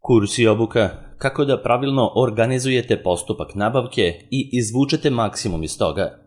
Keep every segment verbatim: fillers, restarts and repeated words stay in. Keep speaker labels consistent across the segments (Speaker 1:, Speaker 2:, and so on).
Speaker 1: Kurs i obuka kako da pravilno organizujete postupak nabavke i izvučete maksimum iz toga.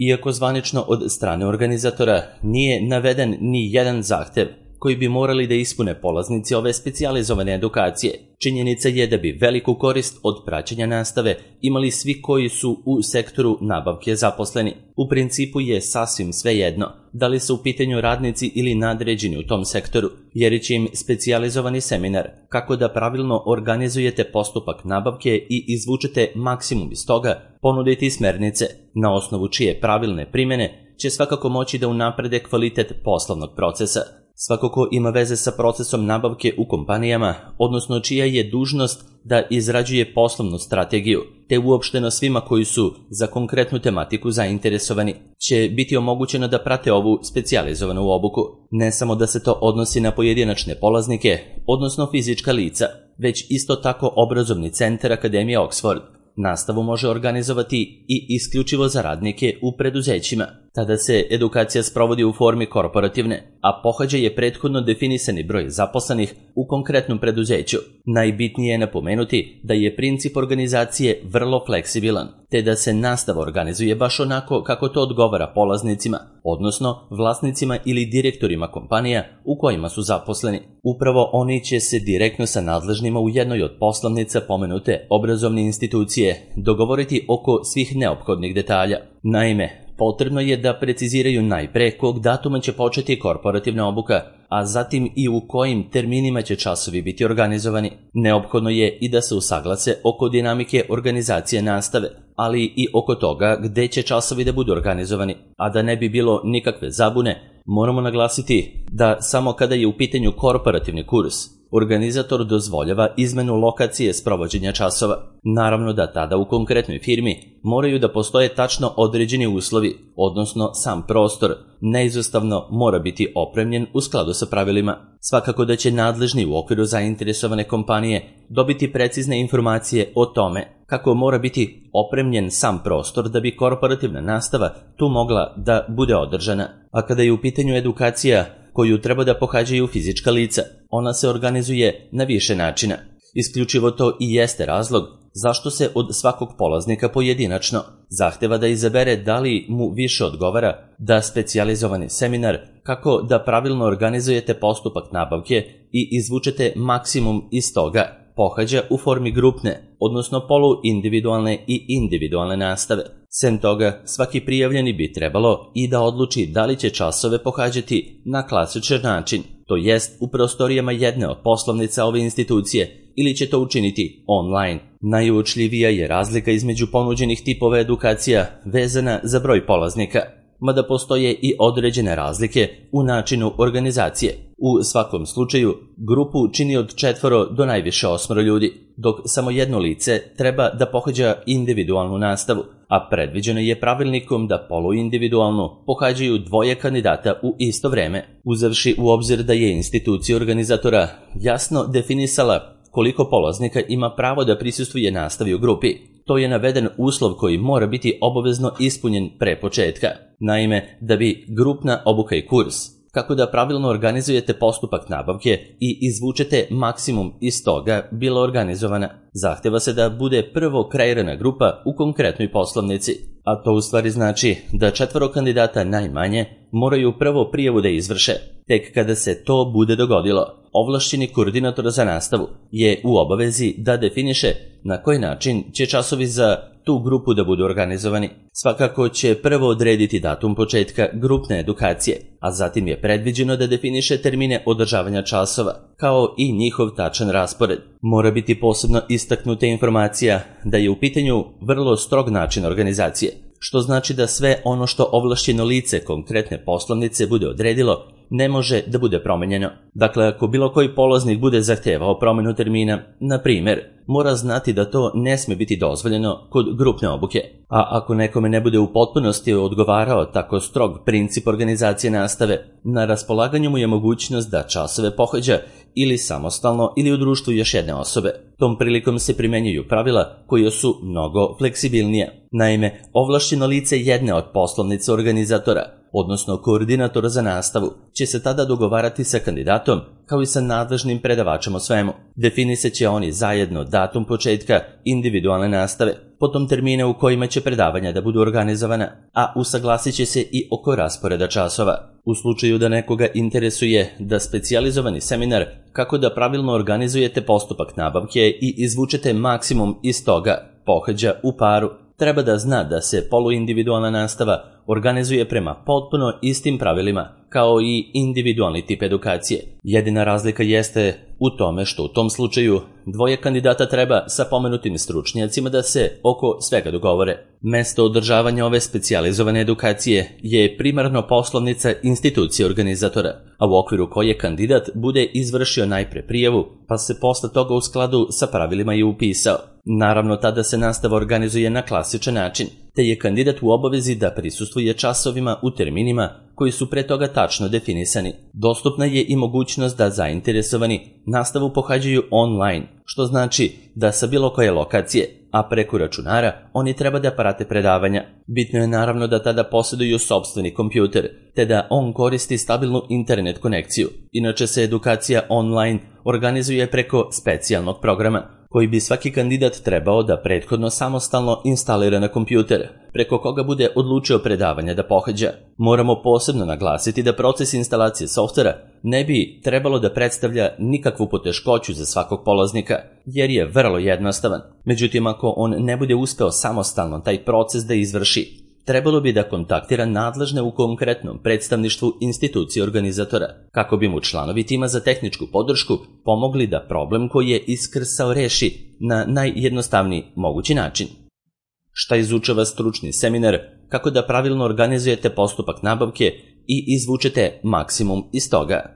Speaker 1: Iako zvanično od strane organizatora nije naveden ni jedan zahtev koji bi morali da ispune polaznici ove specijalizovane edukacije, činjenica je da bi veliku korist od praćenja nastave imali svi koji su u sektoru nabavke zaposleni. U principu je sasvim svejedno da li su u pitanju radnici ili nadređeni u tom sektoru, jer će im specijalizovani seminar kako da pravilno organizujete postupak nabavke i izvučete maksimum iz toga ponuditi smernice, na osnovu čije pravilne primene će svakako moći da unaprede kvalitet poslovnog procesa. Svako ko ima veze sa procesom nabavke u kompanijama, odnosno čija je dužnost da izrađuje poslovnu strategiju, te uopšteno svima koji su za konkretnu tematiku zainteresovani, će biti omogućeno da prate ovu specijalizovanu obuku. Ne samo da se to odnosi na pojedinačne polaznike, odnosno fizička lica, već isto tako obrazovni centar Akademije Oxford nastavu može organizovati i isključivo za radnike u preduzećima. Tada se edukacija sprovodi u formi korporativne, a pohađa je prethodno definisani broj zaposlenih u konkretnom preduzeću. Najbitnije je napomenuti da je princip organizacije vrlo fleksibilan, te da se nastava organizuje baš onako kako to odgovara polaznicima, odnosno vlasnicima ili direktorima kompanija u kojima su zaposleni. Upravo oni će se direktno sa nadležnima u jednoj od poslovnica pomenute obrazovne institucije dogovoriti oko svih neophodnih detalja. Naime, potrebno je da preciziraju najpre kog datuma će početi korporativna obuka, a zatim i u kojim terminima će časovi biti organizovani. Neophodno je i da se usaglase oko dinamike organizacije nastave, ali i oko toga gde će časovi da budu organizovani. A da ne bi bilo nikakve zabune, moramo naglasiti da samo kada je u pitanju korporativni kurs, organizator dozvoljava izmenu lokacije sprovođenja časova. Naravno da tada u konkretnoj firmi moraju da postoje tačno određeni uslovi, odnosno sam prostor neizostavno mora biti opremljen u skladu sa pravilima. Svakako da će nadležni u okviru zainteresovane kompanije dobiti precizne informacije o tome kako mora biti opremljen sam prostor da bi korporativna nastava tu mogla da bude održana. A kada je u pitanju edukacija koju treba da pohađaju fizička lica, ona se organizuje na više načina. Isključivo to i jeste razlog zašto se od svakog polaznika pojedinačno zahteva da izabere da li mu više odgovara da specijalizovani seminar kako da pravilno organizujete postupak nabavke i izvučete maksimum iz toga pohađa u formi grupne, odnosno poluindividualne i individualne nastave. Sem toga, svaki prijavljeni bi trebalo i da odluči da li će časove pohađati na klasičan način, to jest u prostorijama jedne od poslovnica ove institucije, ili će to učiniti online. Najuočljivija je razlika između ponuđenih tipova edukacija vezana za broj polaznika, mada postoje i određene razlike u načinu organizacije. U svakom slučaju, grupu čini od četvoro do najviše osmoro ljudi, dok samo jedno lice treba da pohađa individualnu nastavu, a predviđeno je pravilnikom da poluindividualnu pohađaju dvoje kandidata u isto vreme, uzevši u obzir da je institucija organizatora jasno definisala koliko polaznika ima pravo da prisustvuje nastavi u grupi. To je naveden uslov koji mora biti obavezno ispunjen pre početka. Naime, da bi grupna obuka i kurs, kako da pravilno organizujete postupak nabavke i izvučete maksimum iz toga, bila organizovana, zahteva se da bude prvo kreirana grupa u konkretnoj poslovnici. A to u stvari znači da četvoro kandidata najmanje moraju prvo prijavu da izvrše. Tek kada se to bude dogodilo, ovlašćeni koordinator za nastavu je u obavezi da definiše na koji način će časovi za tu grupu da budu organizovani. Svakako će prvo odrediti datum početka grupne edukacije, a zatim je predviđeno da definiše termine održavanja časova, kao i njihov tačan raspored. Mora biti posebno istaknuta informacija da je u pitanju vrlo strog način organizacije, što znači da sve ono što ovlašćeno lice konkretne poslovnice bude odredilo ne može da bude promenjeno. Dakle, ako bilo koji polaznik bude zahtevao promenu termina, na primer, mora znati da to ne sme biti dozvoljeno kod grupne obuke. A ako nekome ne bude u potpunosti odgovarao tako strog princip organizacije nastave, na raspolaganju mu je mogućnost da časove pohađa ili samostalno ili u društvu još jedne osobe. Tom prilikom se primenjuju pravila koja su mnogo fleksibilnija. Naime, ovlašćeno lice jedne od poslovnica organizatora odnosno koordinator za nastavu, će se tada dogovarati sa kandidatom kao i sa nadležnim predavačem o svemu. Definisat će oni zajedno datum početka individualne nastave, potom termine u kojima će predavanja da budu organizovana, a usaglasit će se i oko rasporeda časova. U slučaju da nekoga interesuje da specijalizovani seminar kako da pravilno organizujete postupak nabavke i izvučete maksimum iz toga pohađa u paru, treba da zna da se poluindividualna nastava organizuje prema potpuno istim pravilima kao i individualni tip edukacije. Jedina razlika jeste u tome što u tom slučaju dvoje kandidata treba sa pomenutim stručnjacima da se oko svega dogovore. Mesto održavanja ove specijalizovane edukacije je primarno poslovnica institucije organizatora, a u okviru koje kandidat bude izvršio najpre prijavu, pa se posle toga u skladu sa pravilima i upisao. Naravno, tada se nastava organizuje na klasičan način, te je kandidat u obavezi da prisustvuje časovima u terminima koji su pre toga tačno definisani. Dostupna je i mogućnost da zainteresovani nastavu pohađaju online, što znači da sa bilo koje lokacije, a preko računara oni treba da prate predavanja. Bitno je naravno da tada posjeduju sopstveni kompjuter, te da on koristi stabilnu internet konekciju. Inače se edukacija online organizuje preko specijalnog programa, koji bi svaki kandidat trebao da prethodno samostalno instalira na kompjuter, preko koga bude odlučio predavanja da pohađa. Moramo posebno naglasiti da proces instalacije softvera ne bi trebalo da predstavlja nikakvu poteškoću za svakog polaznika, jer je vrlo jednostavan. Međutim, ako on ne bude uspeo samostalno taj proces da izvrši, trebalo bi da kontaktira nadležne u konkretnom predstavništvu institucije organizatora, kako bi mu članovi tima za tehničku podršku pomogli da problem koji je iskrsao reši na najjednostavniji mogući način. Šta izučava stručni seminar, kako da pravilno organizujete postupak nabavke i izvučete maksimum iz toga.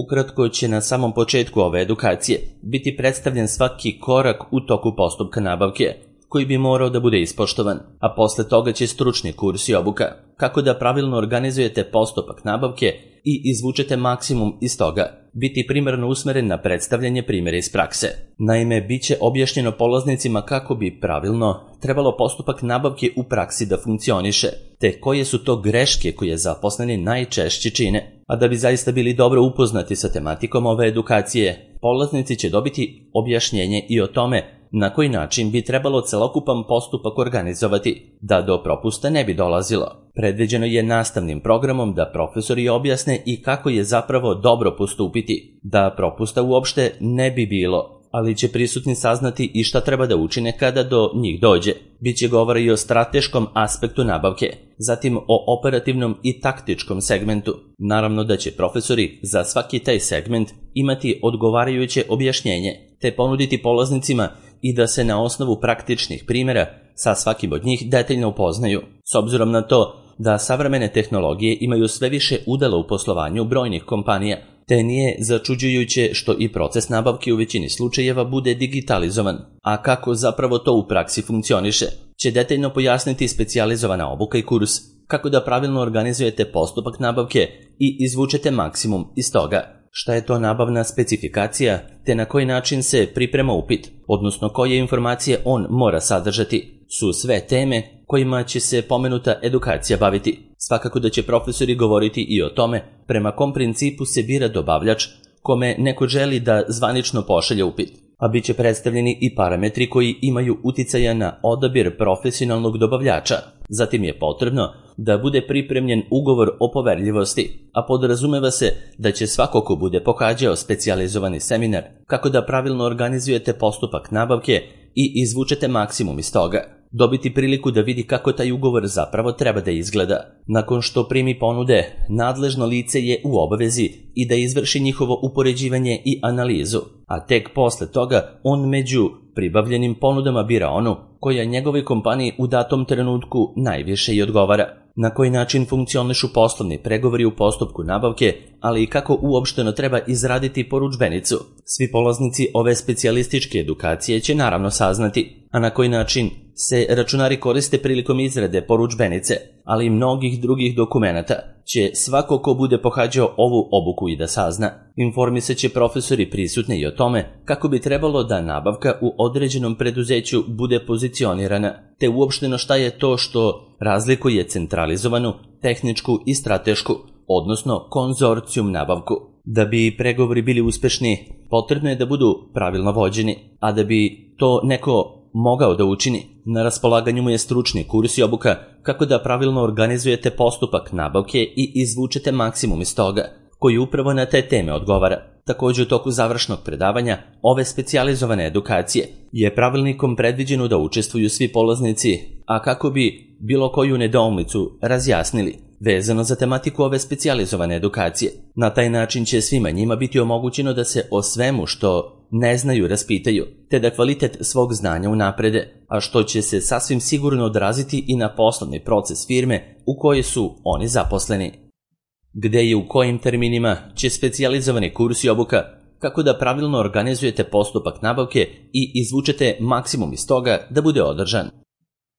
Speaker 1: Ukratko će na samom početku ove edukacije biti predstavljen svaki korak u toku postupka nabavke, koji bi morao da bude ispoštovan, a posle toga će stručni kurs i obuka, kako da pravilno organizujete postupak nabavke i izvučete maksimum iz toga, biti primarno usmeren na predstavljanje primjera iz prakse. Naime, bit će objašnjeno polaznicima kako bi pravilno trebalo postupak nabavke u praksi da funkcioniše, te koje su to greške koje zaposleni najčešće čine. A da bi zaista bili dobro upoznati sa tematikom ove edukacije, polaznici će dobiti objašnjenje i o tome na koji način bi trebalo celokupan postupak organizovati, da do propusta ne bi dolazilo. Predviđeno je nastavnim programom da profesori objasne i kako je zapravo dobro postupiti, da propusta uopšte ne bi bilo, ali će prisutni saznati i šta treba da učine kada do njih dođe. Biće govora i o strateškom aspektu nabavke, zatim o operativnom i taktičkom segmentu. Naravno da će profesori za svaki taj segment imati odgovarajuće objašnjenje, te ponuditi polaznicima i da se na osnovu praktičnih primjera sa svakim od njih detaljno upoznaju. S obzirom na to da savremene tehnologije imaju sve više udela u poslovanju brojnih kompanija, te nije začuđujuće što i proces nabavke u većini slučajeva bude digitalizovan. A kako zapravo to u praksi funkcioniše, će detaljno pojasniti specijalizovana obuka i kurs, kako da pravilno organizujete postupak nabavke i izvučete maksimum iz toga. Šta je to nabavna specifikacija, te na koji način se priprema upit, odnosno koje informacije on mora sadržati, su sve teme kojima će se pomenuta edukacija baviti. Svakako da će profesori govoriti i o tome prema kom principu se bira dobavljač kome neko želi da zvanično pošalje upit, a bit će predstavljeni i parametri koji imaju uticaja na odabir profesionalnog dobavljača. Zatim je potrebno da bude pripremljen ugovor o poverljivosti, a podrazumeva se da će svako ko bude pohađao specijalizovani seminar kako da pravilno organizujete postupak nabavke i izvučete maksimum iz toga, dobiti priliku da vidi kako taj ugovor zapravo treba da izgleda. Nakon što primi ponude, nadležno lice je u obavezi i da izvrši njihovo upoređivanje i analizu, a tek posle toga on među pribavljenim ponudama bira onu koja njegovoj kompaniji u datom trenutku najviše i odgovara. Na koji način funkcionišu poslovni pregovori u postupku nabavke, ali i kako uopšteno treba izraditi porudžbenicu. Svi polaznici ove specijalističke edukacije će naravno saznati, a na koji način se računari koriste prilikom izrade porudžbenice, ali i mnogih drugih dokumenata, će svako ko bude pohađao ovu obuku i da sazna. Informisat će profesori prisutni i o tome kako bi trebalo da nabavka u određenom preduzeću bude pozicionirana, te uopšteno šta je to što razlikuje centralizovanu, tehničku i stratešku, odnosno konzorcijum nabavku. Da bi pregovori bili uspešni, potrebno je da budu pravilno vođeni, a da bi to neko mogao da učini, na raspolaganju mu je stručni kurs i obuka kako da pravilno organizujete postupak nabavke i izvučete maksimum iz toga, koji upravo na te teme odgovara. Također u toku završnog predavanja ove specijalizovane edukacije je pravilnikom predviđeno da učestvuju svi polaznici, a kako bi bilo koju nedoumicu razjasnili vezano za tematiku ove specijalizovane edukacije. Na taj način će svima njima biti omogućeno da se o svemu što ne znaju raspitaju, te da kvalitet svog znanja unaprede, a što će se sasvim sigurno odraziti i na poslovni proces firme u kojoj su oni zaposleni. Gde i u kojim terminima će specijalizovani kurs i obuka kako da pravilno organizujete postupak nabavke i izvučete maksimum iz toga da bude održan.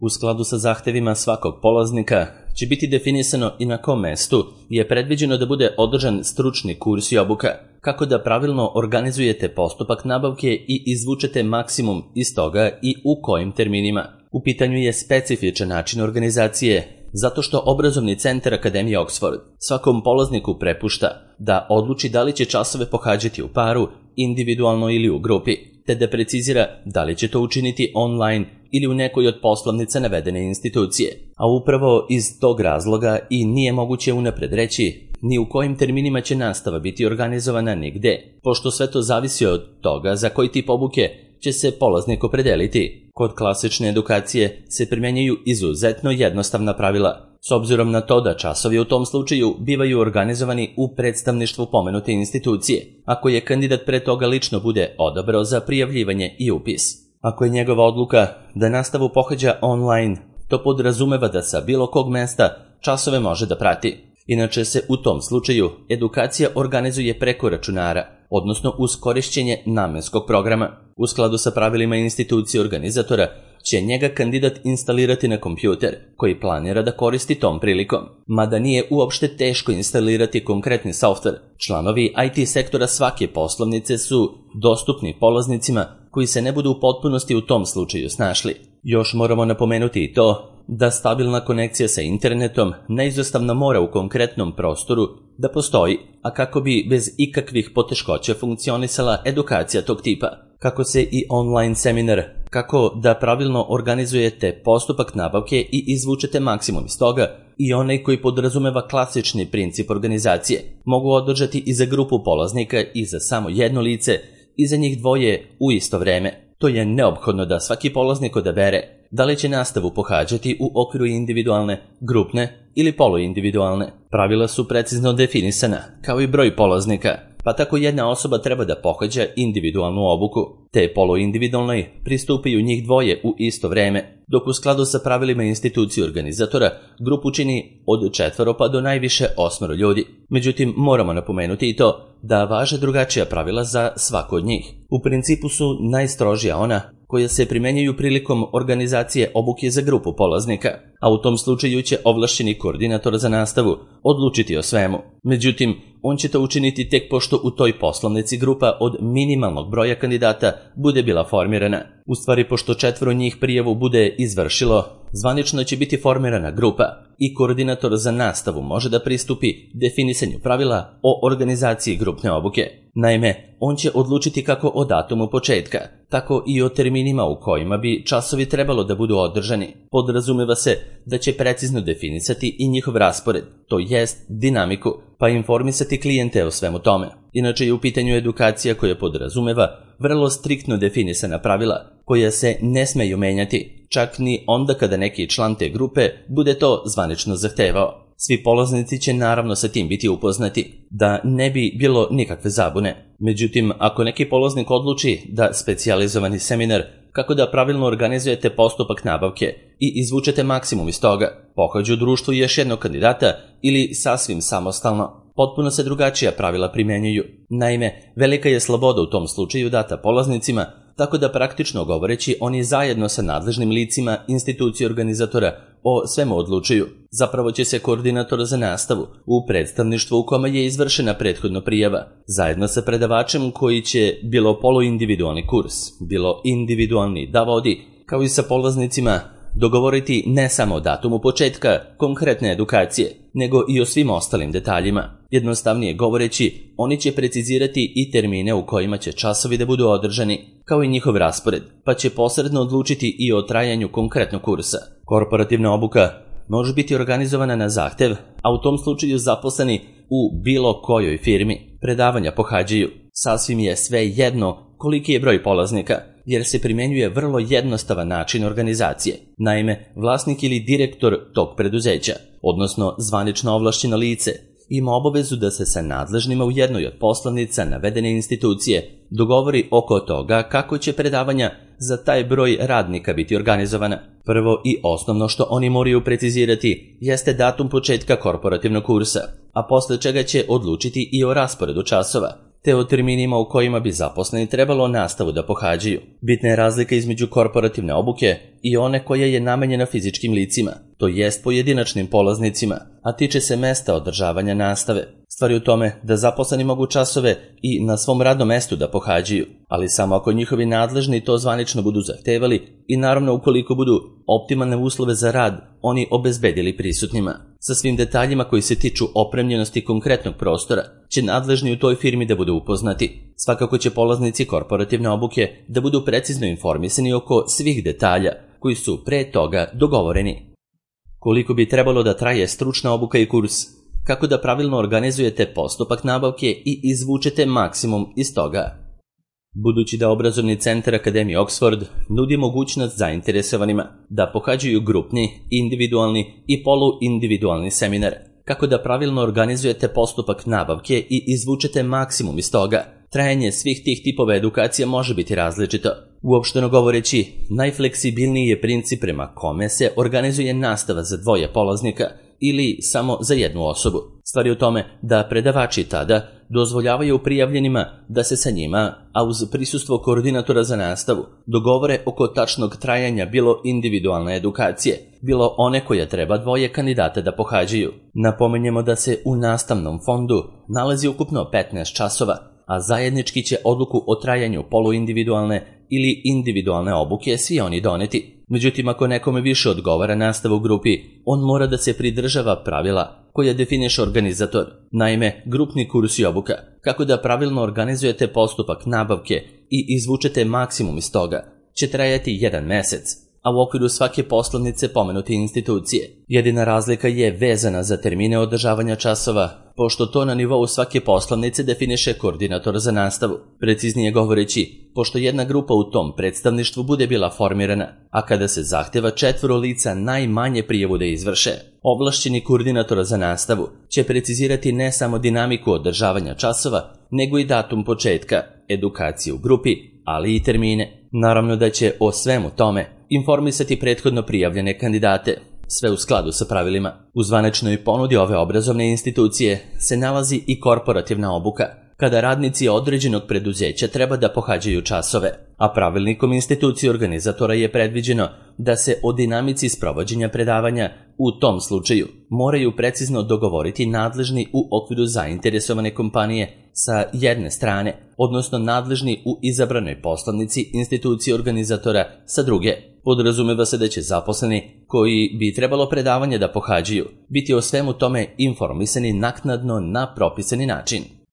Speaker 1: U skladu sa zahtevima svakog polaznika će biti definisano i na kom mestu je predviđeno da bude održan stručni kurs i obuka, kako da pravilno organizujete postupak nabavke i izvučete maksimum iz toga i u kojim terminima. U pitanju je specifičan način organizacije, zato što obrazovni centar Akademije Oxford svakom polazniku prepušta da odluči da li će časove pohađati u paru, individualno ili u grupi, te da precizira da li će to učiniti online ili u nekoj od poslovnica navedene institucije. A upravo iz tog razloga i nije moguće unapred reći ni u kojim terminima će nastava biti organizovana nigde, pošto sve to zavisi od toga za koji tip obuke će se polaznik opredeliti. Kod klasične edukacije se primjenjuju izuzetno jednostavna pravila, s obzirom na to da časovi u tom slučaju bivaju organizovani u predstavništvu pomenute institucije, ako je kandidat pre toga lično bude odabrao za prijavljivanje i upis. Ako je njegova odluka da nastavu pohađa online, to podrazumeva da sa bilo kog mesta časove može da prati. Inače se u tom slučaju edukacija organizuje preko računara, odnosno uz korišćenje namenskog programa. U skladu sa pravilima institucije organizatora će njega kandidat instalirati na kompjuter koji planira da koristi tom prilikom. Mada nije uopšte teško instalirati konkretni softver, članovi I T sektora svake poslovnice su dostupni polaznicima koji se ne budu u potpunosti u tom slučaju snašli. Još moramo napomenuti i to da stabilna konekcija sa internetom neizostavno mora u konkretnom prostoru da postoji, a kako bi bez ikakvih poteškoća funkcionisala edukacija tog tipa. Kako se i online seminar, kako da pravilno organizujete postupak nabavke i izvučete maksimum iz toga, i onaj koji podrazumeva klasični princip organizacije, mogu održati i za grupu polaznika i za samo jedno lice i za njih dvoje u isto vreme. To je neophodno da svaki polaznik odabere da li će nastavu pohađati u okviru individualne, grupne ili poluindividualne. Pravila su precizno definisana, kao i broj polaznika, pa tako jedna osoba treba da pohađa individualnu obuku, te poluindividualnoj pristupaju njih dvoje u isto vreme, dok u skladu sa pravilima institucije organizatora grupu čini od četvoro pa do najviše osmoro ljudi. Međutim, moramo napomenuti i to da važe drugačija pravila za svako od njih. U principu su najstrožija ona koja se primenjuju prilikom organizacije obuke za grupu polaznika, a u tom slučaju će ovlašćeni koordinator za nastavu odlučiti o svemu. Međutim, on će to učiniti tek pošto u toj poslovnici grupa od minimalnog broja kandidata bude bila formirana. U stvari, pošto četvoro njih prijavu bude izvršilo, zvanično će biti formirana grupa i koordinator za nastavu može da pristupi definisanju pravila o organizaciji grupne obuke. Naime, on će odlučiti kako o datumu početka, tako i o terminima u kojima bi časovi trebalo da budu održani. Podrazumeva se da će precizno definisati i njihov raspored, to jest dinamiku, pa informisati klijente o svemu tome. Inače je u pitanju edukacija koja podrazumeva vrlo striktno definisana pravila, koja se ne smeju menjati, čak ni onda kada neki član te grupe bude to zvanično zahtevao. Svi polaznici će naravno sa tim biti upoznati, da ne bi bilo nikakve zabune. Međutim, ako neki polaznik odluči da specijalizovani seminar kako da pravilno organizujete postupak nabavke i izvučete maksimum iz toga, pohađu u društvu još jednog kandidata ili sasvim samostalno, potpuno se drugačija pravila primjenjuju. Naime, velika je sloboda u tom slučaju data polaznicima tako da praktično govoreći oni zajedno sa nadležnim licima institucije organizatora o svemu odlučuju. Zapravo će se koordinator za nastavu u predstavništvu u kome je izvršena prethodno prijava, zajedno sa predavačem koji će bilo poluindividualni kurs, bilo individualni da vodi, kao i sa polaznicima, dogovoriti ne samo o datumu početka konkretne edukacije, nego i o svim ostalim detaljima. Jednostavnije govoreći, oni će precizirati i termine u kojima će časovi da budu održani, kao i njihov raspored, pa će posredno odlučiti i o trajanju konkretnog kursa. Korporativna obuka može biti organizovana na zahtev, a u tom slučaju zaposleni u bilo kojoj firmi predavanja pohađaju. Sasvim je sve jedno koliki je broj polaznika, jer se primenjuje vrlo jednostavan način organizacije. Naime, vlasnik ili direktor tog preduzeća, odnosno zvanično ovlašćeno lice, ima obavezu da se sa nadležnima u jednoj od poslanica navedene institucije dogovori oko toga kako će predavanja za taj broj radnika biti organizovana. Prvo i osnovno što oni moraju precizirati jeste datum početka korporativnog kursa, a posle čega će odlučiti i o rasporedu časova, te o terminima u kojima bi zaposleni trebalo nastavu da pohađaju. Bitna je razlika između korporativne obuke i one koja je namenjena fizičkim licima, to jest pojedinačnim polaznicima, a tiče se mesta održavanja nastave. Stvar je u tome da zaposleni mogu časove i na svom radnom mestu da pohađaju, ali samo ako njihovi nadležni to zvanično budu zahtevali i naravno ukoliko budu optimalne uslove za rad oni obezbedili prisutnima. Sa svim detaljima koji se tiču opremljenosti konkretnog prostora će nadležni u toj firmi da budu upoznati. Svakako će polaznici korporativne obuke da budu precizno informisani oko svih detalja koji su pre toga dogovoreni. Koliko bi trebalo da traje stručna obuka i kurs? Kako da pravilno organizujete postupak nabavke i izvučete maksimum iz toga? Budući da obrazovni centar Akademije Oxford nudi mogućnost zainteresovanima da pohađaju grupni, individualni i poluindividualni seminar, kako da pravilno organizujete postupak nabavke i izvučete maksimum iz toga, trajanje svih tih tipova edukacija može biti različito. Uopšteno govoreći, najfleksibilniji je princip prema kome se organizuje nastava za dvoje polaznika ili samo za jednu osobu. Stvar je u tome da predavači tada dozvoljavaju prijavljenima da se sa njima, a uz prisustvo koordinatora za nastavu, dogovore oko tačnog trajanja bilo individualne edukacije, bilo one koje treba dvoje kandidata da pohađaju. Napomenjemo da se u nastavnom fondu nalazi ukupno petnaest časova, a zajednički će odluku o trajanju poluindividualne ili individualne obuke svi oni doneti. Međutim, ako nekome više odgovara nastava u grupi, on mora da se pridržava pravila koja definiše organizator. Naime, grupni kurs i obuka, kako da pravilno organizujete postupak nabavke i izvučete maksimum iz toga, će trajati jedan mesec, a u okviru svake poslovnice pomenute institucije. Jedina razlika je vezana za termine održavanja časova, pošto to na nivou svake poslovnice definiše koordinator za nastavu. Preciznije govoreći, pošto jedna grupa u tom predstavništvu bude bila formirana, a kada se zahteva četvoro lica najmanje prijavu da izvrše, ovlašćeni koordinator za nastavu će precizirati ne samo dinamiku održavanja časova, nego i datum početka edukacije u grupi, ali i termine. Naravno da će o svemu tome informisati prethodno prijavljene kandidate, sve u skladu sa pravilima. U zvaničnoj ponudi ove obrazovne institucije se nalazi i korporativna obuka, kada radnici određenog preduzeća treba da pohađaju časove, a pravilnikom institucije organizatora je predviđeno da se o dinamici sprovođenja predavanja u tom slučaju moraju precizno dogovoriti nadležni u okviru zainteresovane kompanije sa jedne strane, odnosno nadležni u izabranoj poslovnici institucije organizatora sa druge. Podrazumeva se da će zaposleni koji bi trebalo predavanje da pohađaju biti o svemu tome informisani naknadno na propisani način.